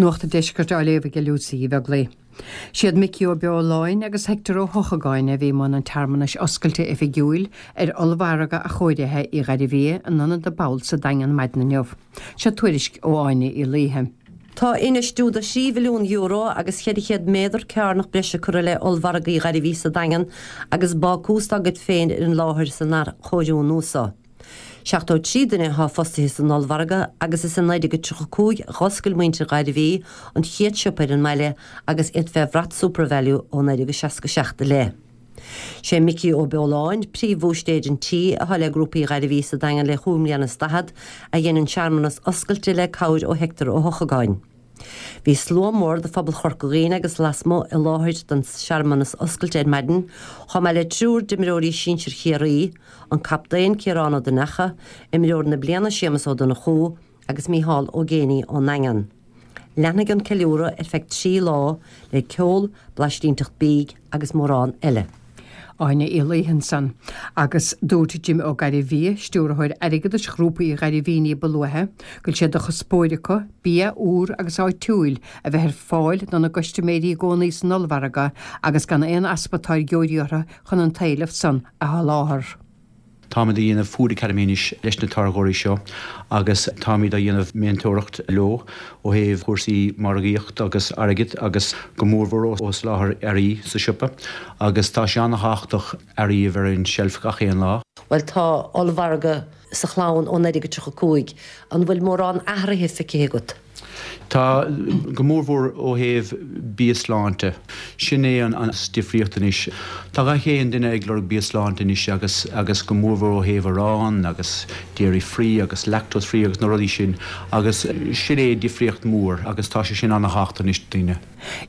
Nuacht an Deiscirt á léamh ag Lucy Uí Bheaglaoi. Siad Micí Ó Beoláin agus Hector Ó hEochagáin a bhí i mbun an tsearmanais oscailte oifigiúil ar ollmhargadh athchóirithe Uí Ghairbhia in Ionad na bPobal sa Daingean maidin inniu. Seo tuairisc ó Áine Uí Laoithe. Tá infheistiú de €3 mhilliún agus 400 méadar cearnach breise curtha le ollmhargadh Uí Ghairbhí sa Daingean agus bácús dá gcuid féin ar an láthair san athchóiriú nua seo. 73 duine atá fostaithe san ollmhargadh agus is i 1935 a dh'oscail muintir Ghairbhí an chéad siopa ar an mbaile agus iad fé bhrat SuperValu ó 1967 i leith. Sé Micí Ó Beoláin, príomh-bhúistéir an tí, atá le Grúpa Uí Ghairbhí sa Daingean le chúig mbliana is daichead, a dhein an searmanas oscailte le cabhair ó Hector Ó hEochagáin. Bhí slua mór de phobal Chorca Dhuibhne agus lasmuigh i láthair don searmanas oscailte ar maidin, chomh maith le triúr d'imreoirí sinsir Chiarraí, an captaen Ciarán Ó Donnacha, imreoir na bliana Séamus Ó Donnchú agus Micheál Ó Géibheannaigh ón nDaingean. Leanfaidh an ceiliúradh ar feadh 3 lá le ceol, blaistínteacht bídh agus mórán eile. Áine Uí Laoithe ansan. Agus dúirt Jim Ó Gairbhia, Stiúrthóir Airgeadais Ghrúpa Uí Ghairbhí ní ba luaithe, go bhfuil sé de chuspóir acu bia úr agus áitiúil a bheith ar fáil dona gcustaiméirí i gcónaí san ollmhargadh agus gan aon easpa táirgeoirí orthu chun an t-éileamh san a sholáthar. Táimid a dhéanamh Food Academy anois leis na táirgeoirí seo agus táimid a dhéanamh meantóireacht leo ó thaobh cúrsaí margaíocht agus airgead agus go mórmhór ó soláthar earraí sa siopa agus tá sé an-thábhachtach earraí a bheith ar an tseilf gach aon lá. Bhuel tá ollmhargadh sa Chlann ó 1935, an bhfuil mórán athraithe feicthe agat? Tá, go mórmhór ó thaobh bia sláinte. Sin é an difríocht anois. Tá gach aon duine ag lorg bia sláinte anois agus agus go mórmhór ó thaobh arán agus dairy free agus lactose free agus na rudaí sin agus sin é difríocht mór agus tá sé sin ana-thábhachtach anois do daoine.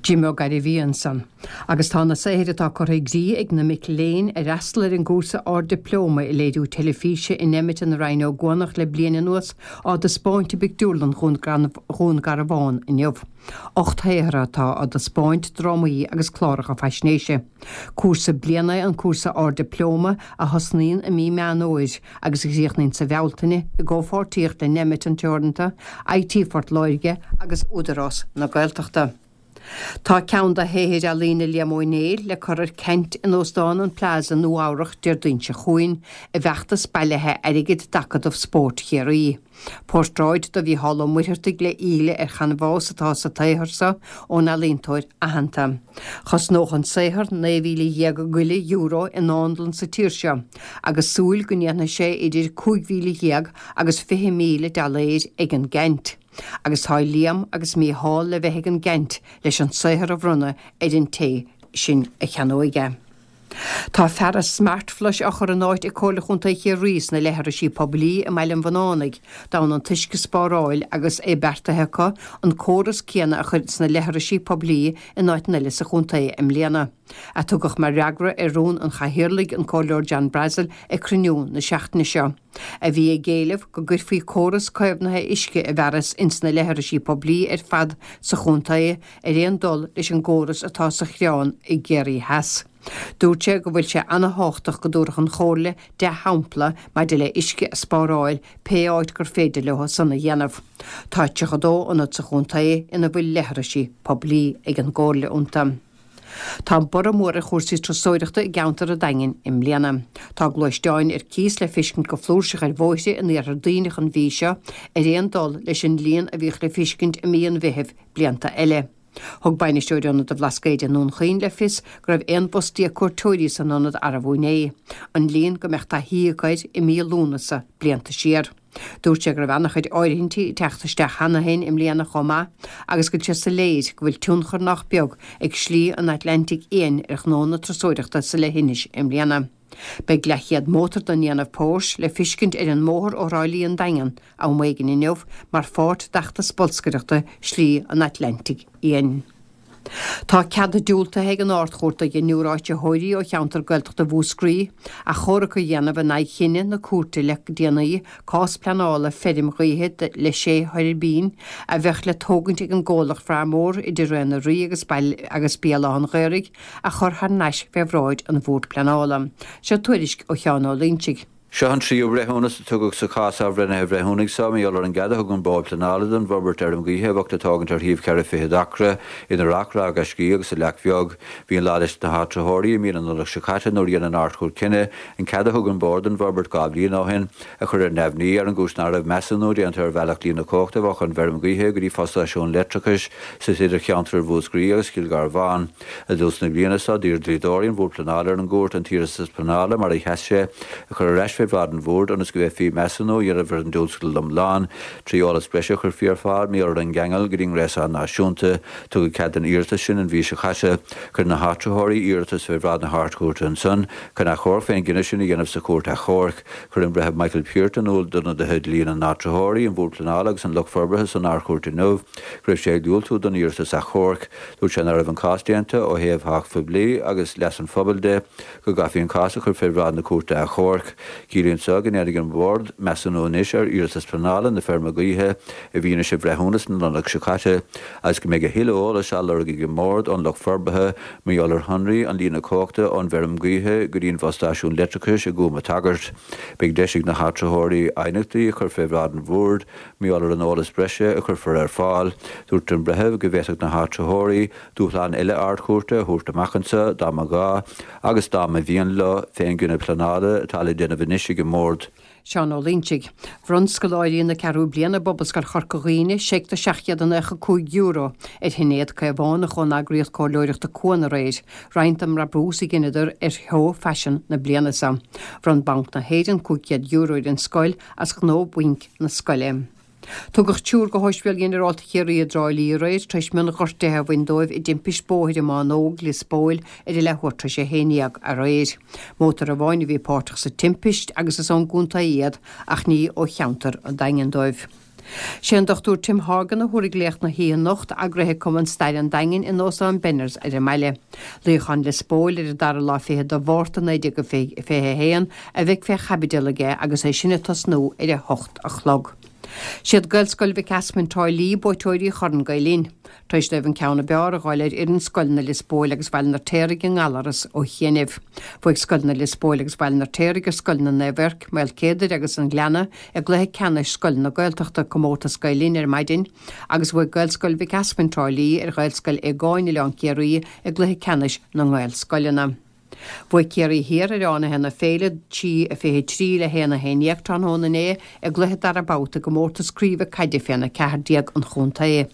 Jim Ó Gairbhí ansan. Agus tá na saothair atá curtha i gcrích ag na mic léinn a fhreastal ar an gcúrsa Ard-Dioplóma i Léiriú Teilifíse in Emmet i Rinn Ó gCuanach le bliain anuas á dtaispeáint i bpictiúrlann Dhún Garbhán inniu. 8 shaothar atá á dtaispeáint, drámaí agus cláracha faisnéise. Cúrsa bliana é an cúrsa Ard-Dioplóma a thosnaíonn i mí Meán Fhómhair agus a chríochnaíonn sa Bhealtaine i gcomhpháirtíocht le Nemeton Teoranta, IT Phort Láirge agus Údarás na Gaeltachta. Tá ceann de shaothair ealaíne Liam Ó Néill le cur ar ceant in Óstán an Plaza, Nua Eabhrach, Déardaoin seo chugainn i bhfeachtas bailithe airgid d'Acadamh Spóirt Chiarraí. Portráid de Mhícheál Ó Muircheartaigh le íle ar chanbhás atá sa tsaothar seo ón ealaíontóir aitheanta. Chosnódh an saothar €19,000 go leith i ndánlann sa tír seo agus súil go ndéanfaidh sé idir 15,000 agus 20,000 dollaeir ag an gceant. Agus tá Liam agus Mícheál le bheith ag an gceant leis an saothar a bhronnadh ar an té sin a cheannóidh é. Tá fearas Smartflush á chur in áit ag Comhairle Chontae Chiarraí sna leithrisí poiblí i mBaile an Bhunánaigh d'fhonn an t-uisce a spáráil agus é beartaithe acu an córas céanna a chur sna leithrisí poiblí in áiteanna eile sa chontae i mbliana. A tugadh mar fhreagra ar rún an Chathaoirligh, an Comhairleoir John Brassil, ag cruinniú na seachtaine seo. a bhí ag éileamh go gcuirfí córas caomhnaithe uisce i bhfearas ins na leithrisí poiblí ar fad sa chontae ar aon dul leis an gcóras atá sa Chreán i gCiarraí Theas. Dúirt sé go bhfuil sé ana-thábhachtach go dtabharfadh an Chomhairle dea-shampla maidir le uisce a spáráil pé áit gur féidir leo san a dhéanamh. Tá 32 ionad sa chontae ina bhfuil leithrisí poiblí ag an gComhairle iontu. Tá borradh mór ar chúrsaí turasóireachta i gceantar an Daingin i mbliana. Tá gluaisteáin ar cíos le feiscint go flúirseach ar bhóithre in iarthar Duibhneach an mhí seo, ar aon dul leis an líon a bhíodh le feiscint i mí an Mheithimh blianta eile. Thug bainisteoir Ionad an Bhlascaoid i nDún Chaoin le fios go raibh 11 bus cuairteoirí san ionad arbú inné, an líon go mbeadh taithí acu air i mí Lúnasa blianta siar. Dúirt sé go raibh an-chuid áirithintí ag teacht isteach cheana féin i mbliana chomh maith agus go bhfuil sé soiléir go bhfuil tionchar nách beag ag Slí an Atlantaigh Fhiáin ar ghnó na turasóireachta sa leithinis i mbliana. Beidh leathchéad mótar den ndéanamh Porsche le fiscint ar an mbóthar ó Thrá Lí an Daingean am éigin inniu mar pháirt d'fheachtas bolscaireachta Slí an Atlantaigh Fhiáin. Tá cead diúltaithe ag an Ard-Chúirt do dheichniúr áititheoirí ó cheantar Gaeltachta Mhúscraí achomharc a dhéanamh in aghaidh chinneadh na cúirte le déanaí cás pleanála feirm ghaoithe le sé thuirbín a bheadh le tógaint ag an gcomhlacht Farmor idir Rae na Rí agus agus Béal Átha an Ghaorthaidh a chur thar n-ais fé bhráid an Bhoird Pleanála. Seo tuairisc ó Sheán Ó Loinsigh. Seo an tríú breithiúnas a tugadh sa chás athbhreithnithe bhreithiúnaigh seo mar gheall ar an gcead a thug an Bord Pleanála don bhforbairt fheirm ghaoithe a bheadh le tógaint ar shuíomh cheithre fichead acra idir Ráth Gaiscí agus an Leac Bheag. Bhí an lá leis na háitritheoirí i mí na Nollag seo caite nuair a dhein an Ard-Chúirt cinneadh an cead a thug an Bord don bhforbairt 2 bhliain ó shin a chur ar neamhní ar an gcúis nach raibh measúnú déanta ar bhealach líne cumhachta a bheadh ón bhfeirm ghaoithe go dtí fostáisiún leictreachais suite idir cheantair Mhúscraí agus Chill Gharbháin. I dtús na bliana seo, d'iarr dlíodóirí an Bhoird Pleanála ar an gcúirt an t-iarratas pleanála mar a sheas sé a chur ar ais fé bhráid an Bhoird ionas go bhféadfaí measúnú a dhéanamh ar an dtionscadal iomlán trí eolas breise a chuirfí ar fáil mar gheall ar an gceangal go dtí an ngréasán náisiúnta. Tugadh cead don iarratas sin an mhí seo caite. Chuir na háitritheoirí iarratas fé bhráid na hArd-Chúirte ansan chun achomharc fén gcinneadh sin a dhéanamh sa Chúirt Achomhairc. Chuir an Breitheamh Michael Peart in iúl d'ionadaithe dlí na n-áitritheoirí, an Bhoird Pleanála agus an lucht forbartha san Ard-Chúirt inniu go raibh sé ag diúltú don iarratas achomhairc. Dúirt sé nach raibh an cás déanta ó thaobh thábhacht phoiblí agus leas an phobail de, go gcaithfí an cás a chur fé bhráid na Cúirte Achomhairc. Ciallaíonn seo go ndéanfaidh an Bord measúnú anois ar iarratas pleanála na feirme gaoithe i bhfianaise bhreithiúnas na Nollag seo caite agus go mbeidh a thuilleadh eolais á lorg ag an mBord ón lucht forbartha mar gheall ar shonraí an líne cumhachta ón bhfeirm gaoithe go dtí an bhfostáisiún leictreachais i gCúm a' tSagairt. Beidh deis ag na háitritheoirí aighneachtaí a chur fé bhráid an Bhoird Mar gheall ar an eolas breise a chuirfear ar fáil, dúirt an breitheamh go bhféadfadh na háitritheoirí dúshlán eile Ard-Chúirte a thabhairt amach anseo dá mba ghá agus dá mba mhian leo fén gcinneadh pleanála atá le déanamh anois ag an mBord. Seán Ó Loingsigh. Bhronn scoláirí na ceathrú bliana i bPobalscoil Chorca Dhuibhne seic de €795 ar Shinéad Caomhánach ón eagraíocht comhairleoireachta Cuan aréir, roinnt den mbrabús a ghineadar ar sheó faisin na bliana seo. Bhronn Banc na hÉireann €500 ar an scoil as gnó bainc na scoile. Tugadh triúr go hOspidéal Ghinearálta Chiarraí i dTrá Lí aréir tar éis mionghortuithe a bhain dóibh i dtimpist bóthair i mBánóg, Lios Póil, ar a leathuair tar éis a 11 aréir. Mótar amháin a bhí páirteach sa timpist agus is ón gcontae iad ach ní ó cheantar an Daingin dóibh. Sé an Dr Tim Horgan a thabharfaidh léacht na hoíche anocht, eagraithe ag Cumann Staire an Daingin in Óstán Benners ar an mbaile. Luíochán Lios Póil ar an dara lá fichead de Mhárta 1921 a bheidh fé chaibidil aige agus é sin ag tosnú ar a hocht a chlog. Siad Gaelscoil Mhic Easmainn Trá Lí buaiteoirí Chorn Gael Linn. Tar éis dóibh an ceann ab fhearr a dh'fháil ar fhoireann Scoileanna Lios Póil agus Bhaile an Fheirtéaraigh i nGallaras ó chianaibh. Bhuaigh Scoileanna Lios Póil agus Bhaile an Fheirtéaraigh ar Scoileanna Naomh Eirc, Maol Céadair agus an Ghleanna i gcluiche ceannais Scoileanna Gaeltachta Comórtas Gael Linn ar maidin agus bhuaigh Gaelscoil Mhic Easmainn Trá Lí ar Ghaelscoil Aogáin Oileán Ciarraí i gcluiche ceannais na nGaelscoileanna. Bhuaigh Ciarraí Thiar ar Fhánaithe na Féile, 3, 23 le 1, 11 tráthnóna inné i gcluiche dara babhta i gcomórtas craoibhe caide féna 14 an chontae.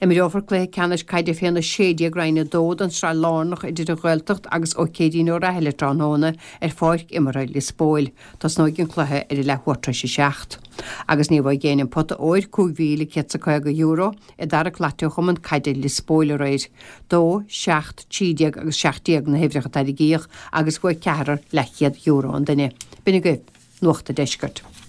Imreofar cluiche ceannais caide féna 16 Roinn 2 den tSraith Lárnach idir an Ghaeltacht agus Ó Céirín Ó Raithile tráthnóna ar pháirc imeartha Lios Póil. Tosnóidh an cluiche ar a leathuair tar éis a seacht. Agus ní bhfaighidh éinne an pota óir, €5,150, i dtarrac lotto Chumann Caide Lios Póil aréir. 2, 7, 13 agus 17 na huimhreacha a tarraingíodh agus bhuaigh ceathrar leathchéad euro an duine. B'in agaibh Nuacht an Deiscirt.